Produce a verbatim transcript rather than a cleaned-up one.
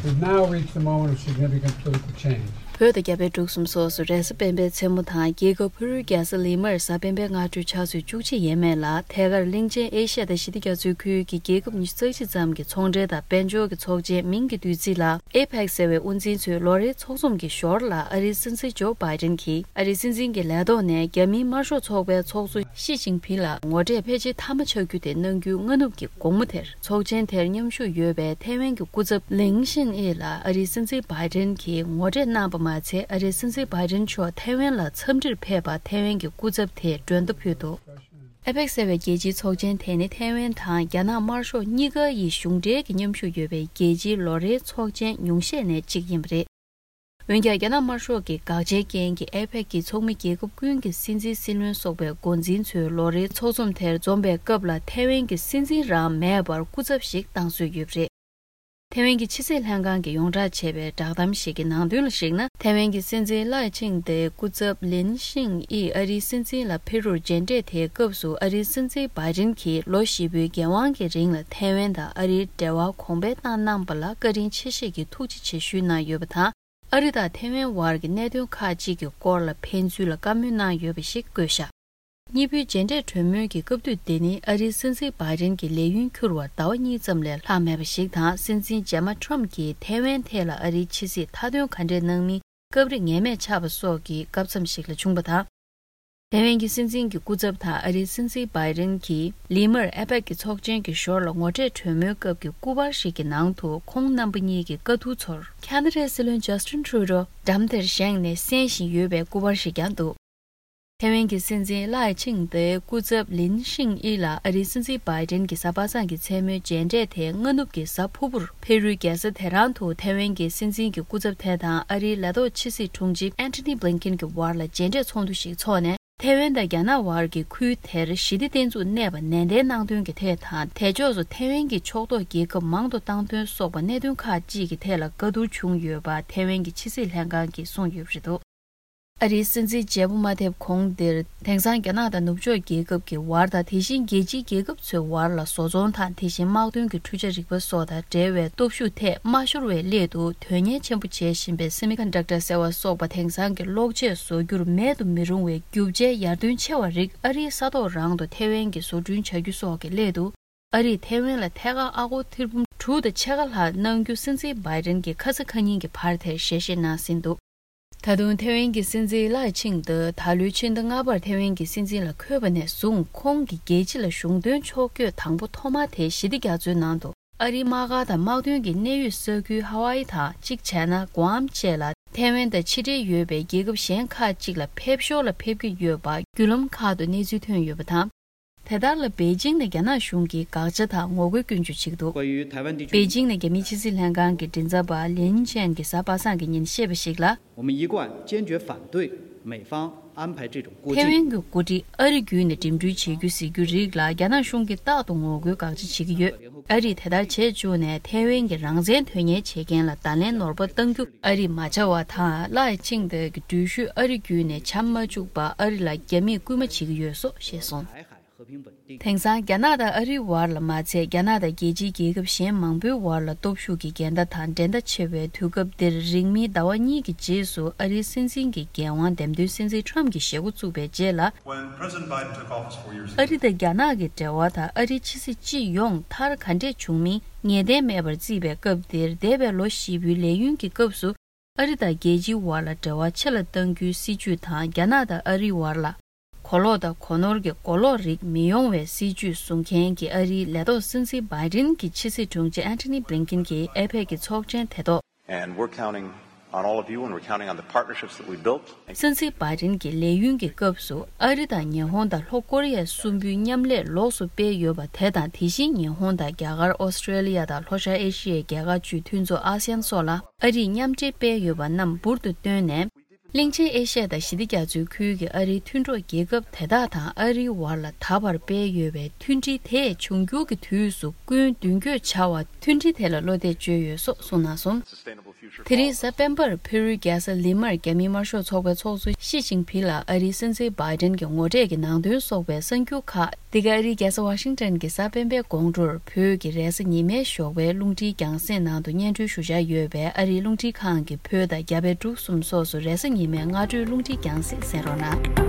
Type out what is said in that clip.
We've now reached the moment of significant political change. བོད་དང་རྒྱ་བལ་འབྲུག་གསུམ་སོགས་སུ་རེས་གཟའ་སྤེན་པའི་མཚན་མོ་དང་རྒྱལ་ཁབ་ཕུ་རུའི་རྒྱལ་ས་ལི་མར་གཟའ་སྤེན་པའི་སྔ་དྲོའི་ཆུ་ཚོད་བཅུ་གཅིག་ཡས་མས་ལ་ཐད་ཀར་གླིང་ཆེན་ཨེ་ཤ་ཡ་དང་ཞི་བདེ་རྒྱ་མཚོའི་ཁུལ་གྱི་རྒྱལ་ཁབ་ཉི་ཤུ་རྩ་གཅིག་ཙམ་གྱི་ཚོང་འབྲེལ་དང་དཔལ་འབྱོར་གྱི་ཚོགས་ཆེན་མིང་གི་བསྡུས་ཚིག་ལ་ཨེ་ཕེག་ཟེར་བའི་དབུ་འཛིན་ཚོའི་ལོ་རེའི་ཚོགས་འཛོམས་ཀྱི་ཞོར་ལ་ཨ་རིའི་སྲིད་འཛིན་ཇོ་བྷའི་ཏིན་གྱིས་ཨ་རིའི་སྲིད་འཛིན་གྱི་ལས་ཐོག་ནས་རྒྱ་མིའི་དམར་ཤོག་ཚོགས་པའི་ཚོགས་གཙོ་ཞི་ཅིན་ཕིང་ལ་ངོ་འཕྲད་ཕལ་ཆེར་མཐའ་མ་ཆགས་རྒྱུ་དེ་གནང་རྒྱུའི་སྔ་ནུབ་ཀྱི་དགོང་མོ་དེར་ཚོགས་ཆེན་དེར་མཉམ་ཞུགས་ཡོད་པའི་ཐའེ་ཝན་གྱི་སྐུ་ཚབ་ལིང་ཤིན་ཨི་ལ་ཨ་རིའི་སྲིད་འཛིན་བྷའི་ཏིན་གྱིས་ངོ་འཕྲད་གནང་པ་མ་ཚད། ཨ་རིའི་སྲིད་འཛིན་བྷའི་ཏིན་མཆོག་ཐའེ་ཝན་ལ་འཚམས་འདྲིར་ཕེབས་པར་ཐའེ་ཝན་གྱི་སྐུ་ཚབ་དེས་མགྲོན་བརྡ་ཕུལ་འདུག་ཨེ་ཕེག་ཟེར་བའི་རྒྱལ་སྤྱིའི་ཚོགས་ཆེན་དེ་ནི་ཐའེ་ཝན་དང་རྒྱ་ནག་དམར་ཤོག་གཉིས་ཀ་ཡི་གཞུང་འབྲེལ་གྱི་མཉམ་ཞུགས་ཡོད་པའི་རྒྱལ་སྤྱིའི་ལོ་རེའི་ཚོགས་ཆེན་ཉུང་ཤས་ནས་གཅིག་ཡིན་པ་རེད། འོན་ཀྱང་རྒྱ་ནག་དམར་ཤོག་གི་དགག་བྱའི་རྐྱེན་གྱིས་ཨེ་ཕེག་གི་ཚོགས་མི་རྒྱལ་ཁབ་ཀུན་གྱི་སྲིད་འཛིན་སྲིད་བློན་སོགས་པའི་འགོ་འཛིན་ཚོའི་ལོ་རེའི་ཚོགས་འཛོམས་དེར་འཛོམས་པའི་སྐབས་ལ་ཐའེ་ཝན་གྱི་སྲིད་འཛིན་རང་མེད་པར་སྐུ་ཚབ་ཞིག་བཏང་སྲོལ་ཡོད་པ་རེད། ཐའེ་ཝན་གྱི་ཕྱི་སྲིད་ལྷན་ཁང་གིས་ཡོངས་བསྒྲགས་བྱས་པའི་བསྒྲགས་གཏམ་ཞིག་གི་ནང་དོན་ལ་གཞིགས་ན། ཐའེ་ཝན་གྱི་སྲིད་འཛིན་ལའེ་ཆིང་ཏེའི་སྐུ་ཚབ་ལིན་ཤིང་ཨི་ཨ་རིའི་སྲིད་འཛིན་ལ་ཕེབས་རོགས་མཇལ་འཕྲད་དེའི་སྐབས་སུ་ཨ་རིའི་སྲིད་འཛིན་བྷའི་ཏིན་གྱིས་ལོ་བཞི་པོའི་འགན་དབང་གི་རིང་ལ་ཐའེ་ཝན་དང་ཨ་རིའི་འབྲེལ་བ་གོང་འཕེལ་བཏང་གནང་པ་ལ་བཀའ་དྲིན་ཆེ་བཞེས་ཀྱི་ཐུགས་རྗེ་ཆེ་ཞུས་གནང་ཡོད་པ་དང་། ཨ་རི་དང་ཐའེ་ཝན་བར་གྱི་གནད་དོན་ཁག་ཅིག་གི་སྐོར་ལ་ཕན་ཚུན་ལ་བཀའ་མོལ་གནང་ཡོད་པ་ཞིག་བཀོད་བཞག་གཉིས་པོའི་མཇལ་འཕྲད་གྲོས་མོལ་གྱི་སྐབས་དུས་དེ་ནི་ཨ་རིའི་སྲིད་འཛིན་བྷའི་ཏིན་གྱི་ལས་ཡུན་འཁྱོལ་བར་ཟླ་བ་གཉིས་ཙམ་ལས་ལྷག་མེད་པ་ཞིག་དང་། སྲིད་འཛིན་རྗེས་མ་ཁྲོམ་གྱིས་ཐའེ་ཝན་ཐད་ལ་ཨ་རིའི་ཕྱི་སྲིད་མཐའ་དོན་ག་འདྲས་གནང་མིན་སྐབས་རེ་ངེས་མེད་ཆགས་པ་སོགས་ཀྱི་སྐབས་མཚམས་ཤིག་ལ་བྱུང་བ་དང་། ཐའེ་ཝན་གྱི་སྲིད་འཛིན་གྱི་སྐུ་ཚབ་དང་ཨ་རིའི་སྲིད་འཛིན་བྷའི་ཏིན་གྱིས་ལི་མར་ཨེ་ཕེག་གི་ཚོགས་ཆེན་གྱི་ཞོར་ལ་ངོ་འཕྲད་གྲོས་མོལ་སྐབས་ཀྱི་སྐུ་པར་ཞིག་གི་ནང་དུ་ཁོང་རྣམ་པ་གཉིས་ཀྱི་བཀའ་བསྡུར་ཚོར་ཁ་ན་ཌའི་སྲིད་བློན་ཇ་སི་ཊིན་ཁྲུ་ཌོ་འགྲམ་དེར་བཞེངས་ནས་གསན་བཞིན་ཡོད་པའི་སྐུ་པར་ཞིག་ཀྱང་འདུག་ཐའེ་ཝན་གྱི་སྲིད་འཛིན་ལའེ་ཆིང་ཏེའི་སྐུ་ཚབ་ལིན་ཤིང་ཨི་ལ་ཨ་རིའི་སྲིད་འཛིན་བྷའི་ཏིན་གྱི་གཟའ་པ་སངས་ཀྱི་མཚན་མོའི་མཇལ་འཕྲད་དེ་སྔ་ནུབ་ཀྱི་གཟའ་ཕུར་བུར་ཕེ་རུའི་རྒྱལ་ས་དེ་རང་དུ་ཐའེ་ཝན་གྱི་སྲིད་འཛིན་གྱི་སྐུ་ཚབ་དེ་དང་ཨ་རིའི་ལས་ཐོག་ཕྱི་སྲིད་དྲུང་ཆེ་ཨན་ཐོ་ནི་བྷི་ལིན་ཀིན་གྱི་བར་ལ་མཇལ་འཕྲད་ཚོགས་འདུ་ཞིག་འཚོགས་ནས། ཐའེ་ཝན་དང་རྒྱ་ནག་བར་གྱི་ཁུལ་དེར་ཞི་བདེ་བརྟན་ཚུགས་གནས་པ་ནན་ཏན་གནང་དོན་གྱི་ཐད་དང་། དེ་ཕྱོགས་སུ་ཐའེ་ཝན་གྱི་ཕྱོགས་གཏོགས་རྒྱལ་ཁབ་མང་དུ་བཏང་དོན་སོགས་པ་གནད་དོན་ཁག་ཅིག་གི་ཐད་ལ་བཀའ་བསྡུར་བྱུང་ཡོད་པ་ཐའེ་ཝན་གྱི་ཕྱི་སྲིད་ལྷན་ཁང་གིས་གསུངས་ཡོད་པ་རེད་འདུག་ཨ་རིའི་སྲིད་འཛིན་བརྗེ་པོ་མ་ཐེབས་གོང་དེར། དེང་སང་རྒྱ་ནག་དང་ནུབ་ཕྱོགས་རྒྱལ་ཁབ་ཀྱི་བར་དང་། དེ་བཞིན་རྒྱལ་སྤྱིའི་རྒྱལ་ཁབ་ཚོའི་བར་ལ་བཟོ་ཚོང་དང་། དེ་བཞིན་དམག་དོན་གྱི་འཕྲུལ་ཆ་རིག་པ་སོགས་དང་འབྲེལ་བའི་སྟོབས་ཤུགས་ཐད་མ་ཤོར་བའི་སླད་དུ། དོན་གཉེར་ཆེན་པོ་བྱེད་བཞིན་པའི་སེ་མི་ཀོན་ཌག་ཊར་ཟེར་བ་སོགས་པ་དེང་སང་གི་གློག་ཆས་བཟོ་རྒྱུར་མེད་དུ་མི་རུང་བའི་རྒྱུ་ཆའི་ཡར་ཐོན་ཆེ་བ་རིགས་ཨ་རིའི་ས་ཐོག་རང་དུ་ཐའེ་ཝན་གྱིས་བཟོ་སྐྲུན་བྱ་རྒྱུ་སོགས་ཀྱི་སླད་དུ། ཨ་རིས་ཐའེ་ཝན་ལ་ཐད་ཀར་ཨ་སྒོར་ཐེར་འབུམ་དྲུག་དང་ཕྱེད་ཀ་ལྷག་གནང་རྒྱུ་སྲིད་འཛིན་བྷའི་ཏིན་གྱིས་ཁ་ས་ཁ་ཉིན་གྱི་བར་དེར་ཞལ་བཞེས་གནང་ཟིན་འདུག་ད་དུང་ཐའེ་ཝན་གྱི་སྲིད་འཛིན་ལའེ་ཆིང་ཏེ་ད་ལོའི་ཕྱི་ཟླ་ལྔ་པར་ཐའེ་ཝན་གྱི་སྲིད་འཛིན་ལ་འཁོད་པ་ནས་བཟུང་ཁོང་གི་རྒྱལ་སྤྱི་ལ་གཞུང་དོན་ཕྱོགས་བསྐྱོད་དང་པོ་ཐོག་མ་དེ་ཞི་བདེ་རྒྱ་མཚོའི་ནང་དུ་ཨ་རིའི་དམག་སྒར་དང་དམག་དོན་གྱི་གནད་ཡོད་ས་ཁུལ་ཧ་ཝཱ་ཨི་དང་གཅིག་བྱས་ན་གུའམ་བཅས་ལ་ཐའེ་ཝན་དང་ཕྱི་འབྲེལ་ཡོད་པའི་རྒྱལ་ཁབ་གཞན་ཁག་ཅིག་ལ་ཕེབས་ཞོར་ལ་ཕེབས་ཀྱི་ཡོད་པ་བརྒྱུད་ལམ་ཁག་ཏུ་གནས་ཚུལ་ཐོན་ཡོད་པ་དང་། དེ་ལྟར་ལ་པེ་ཅིང་ནས་རྒྱ་ནག་གཞུང་གིས་དགག་བྱ་དང་ངོ་རྒོལ་སྐྱོན་བརྗོད་བྱེད་ཀྱི་འདུག་པེ་ཅིང་ནས་རྒྱ་མིའི་ཕྱི་སྲིད་ལྷན་ཁང་གི་མགྲིན་ཚབ་པ་ལིན་ཅན་གྱིས་གཟའ་པ་སངས་ཀྱི་ཉིན་བཤད་པ་ཞིག་ལ། 我们一贯坚决反对美方安排这种过境。 ཐའེ་ཝན་གྱི་འགོ་ཁྲིད་ཨ་རི་བརྒྱུད་ནས་འགྲིམ་འགྲུལ་བྱེད་རྒྱུ་ཟེར་རྒྱུ་རིགས་ལ་རྒྱ་ནག་གཞུང་གིས་རྟག་ཏུ་ངོ་རྒོལ་དགག་བྱ་བྱེད་ཀྱི་ཡོད། ཨ་རིས་དེ་ལྟར་བྱས་བཅུག་ནས་ཐའེ་ཝན་གྱི་རང་བཙན་དོན་གཉེར་བྱེད་མཁན་ལ་བརྡ་ལན་ནོར་བ་གཏང་རྒྱུ་ཨ་རིས་མ་བྱ་བ་དང་། ལའེ་ཆིང་ཏེ་གི་འགྲུལ་བཞུད་ཨ་རི་བརྒྱུད་ནས་བྱ་མ་བཅུག་པར་ཨ་རི་ལ་རྒྱ་མིས་སྐུལ་མ་བྱེད་ཀྱི་ཡོད་སོགས་བཤད་སོང་། དེང་སང་རྒྱ་ནག་དང་ཨ་རིའི་བར་ལ་མ་ཚད། རྒྱ་ནག་དང་རྒྱལ་སྤྱིའི་རྒྱལ་ཁབ་གཞན་མང་པོའི་བར་ལ་སྟོབས་ཤུགས་ཀྱི་འགལ་ཟླ་དང་འགྲན་ཟླ་ཆེ་བའི་དུས་སྐབས་འདིར། རིང་མིན་ཟླ་བ་གཉིས་ཀྱི་རྗེས་སུ་ཨ་རིའི་སྲིད་འཛིན་གྱི་འགན་དབང་འདེམས་ཐོན་སྲིད་འཛིན་ཁྲོམ་གྱིས་བཞེས་འགོ་བཙུགས་པའི་རྗེས་ལ། When President Biden took office four years ago, ཨ་རི་དང་རྒྱ་ནག་གི་འབྲེལ་བ་དང་ཨ་རིའི་ཕྱི་སྲིད་སྤྱི་ཡོངས་མཐར་ག་འདྲས་བྱུང་མིན་ངེས་གཏན་མེད་པར་བརྩིས་པའི་སྐབས་འདིར། འདས་པའི་ལོ་བཞི་པོའི་ལས་ཡུན་གྱི་སྐབས་སུ། ཨ་རི་དང་རྒྱལ་སྤྱིའི་བར་ལ་འབྲེལ་བ་ཆེ་ལ་གཏང་རྒྱུའི་སྲིད་ཇུས་དང་། རྒྱ་ནག་དང་ཨ་རིའི་བར་ལ་གོ་ལོག་དང་གོ་ནོར་གྱི་གོ་ལོག་རིགས་མི་ཡོང་བའི་སྲིད་ཇུས་བཟུང་མཁན་གྱི་ཨ་རིའི་ལས་ཐོག་སྲིད་འཛིན་བྷའི་ཏིན་གྱི་ཕྱི་སྲིད་དྲུང་ཆེ་ཨན་ཐོ་ནི་བྷི་ལིན་ཀིན་གྱིས་ཨེ་ཕེག་གི་ཚོགས་ཆེན་དེ་ཐོག And we're counting on all of you, and we're counting on the partnerships that we built. སྲིད་འཛིན་བྷའི་ཏིན་གྱི་ལས་ཡུན་གྱི་སྐབས་སུ་ཨ་རི་དང་ཉི་ཧོང་དང་ལྷོ་ཀོ་རི་ཡ་གསུམ་པོའི་མཉམ་ལས་ལོགས་སུ་སྤེལ་ཡོད་པ་དེ་དང་། དེ་བཞིན་ཉི་ཧོང་དང་རྒྱ་གར། ཨོ་སི་ཀྲེ་ལི་ཡ་དང་ལྷོ་ཤར་ཨེ་ཤི་ཡའི་རྒྱལ་ཁག་བཅུའི་མཐུན་ཚོགས་ཨ་སི་ཡན་སོགས་ལ་ཨ་རིས་མཉམ་འབྲེལ་སྤེལ་ཡོད་པ་རྣམས་འབུར་དུ་བཏོན་ནས། གླིང་ཆེན་ཨེ་ཤ་ཡ་དང་ཞི་བདེ་རྒྱ་མཚོའི་ཁུལ་གྱི་ཨ་རིའི་མཐུན་གྲོགས་རྒྱལ་ཁབ་དེ་དག་དང་ཨ་རིའི་བར་ལ་ད་བར་སྤེལ་ཡོད་པའི་མཐུན་སྒྲིལ་དེས་འབྱུང་འགྱུར་གྱི་དུས་སུ་སྐུན་མདུན་སྐྱོད་བྱ་བར་མཐུན་སྒྲིལ་དེ་ལ་བློ་གཏད་བཅོལ་ཡོད་སོགས་གསུངས་གནང་སོང་། དེ་རིང་གཟའ་སྤེན་པར་ཕེ་རུའི་རྒྱལ་ས་ལི་མར་རྒྱ་མིའི་དམར་ཤོག་ཚོགས་པའི་ཚོགས་གཙོ་ཞི་ཅིན་ཕིང་ལ་ཨ་རིའི་སྲིད་འཛིན་བྷའི་ཏན་གྱི་ངོ་འཕྲད་ཀྱི་ནང་དོན་སོགས་པའི་གསར་འགྱུར་ཁག་འདི་ག་ཨ་རིའི་རྒྱལ་ས་ཝ་ཤིང་ཏན་གྱི་གཟའ་སྤེན་པའི་དགོང་དྲོར་བོད་ཀྱི་རེས་གཟའ་ཉི་མའི་ཞོགས་པའི་རླུང་འཕྲིན་རྒྱང་སྲིང་ནང་དུ་སྙན་སྒྲོན་ཞུ་འཆར་ཡོད་པས། ཨ་རིའི་རླུང་འཕྲིན་ཁང་གི་བོད་དང་རྒྱ་བལ་འབྲུག་གསུམ་སོགས་སུ་རེས་གཟའ་ཉི་མའི་སྔ་དྲོའི་རླུང་འཕྲིན་རྒྱང་སྲིང་གསན་རོགས་གནང་།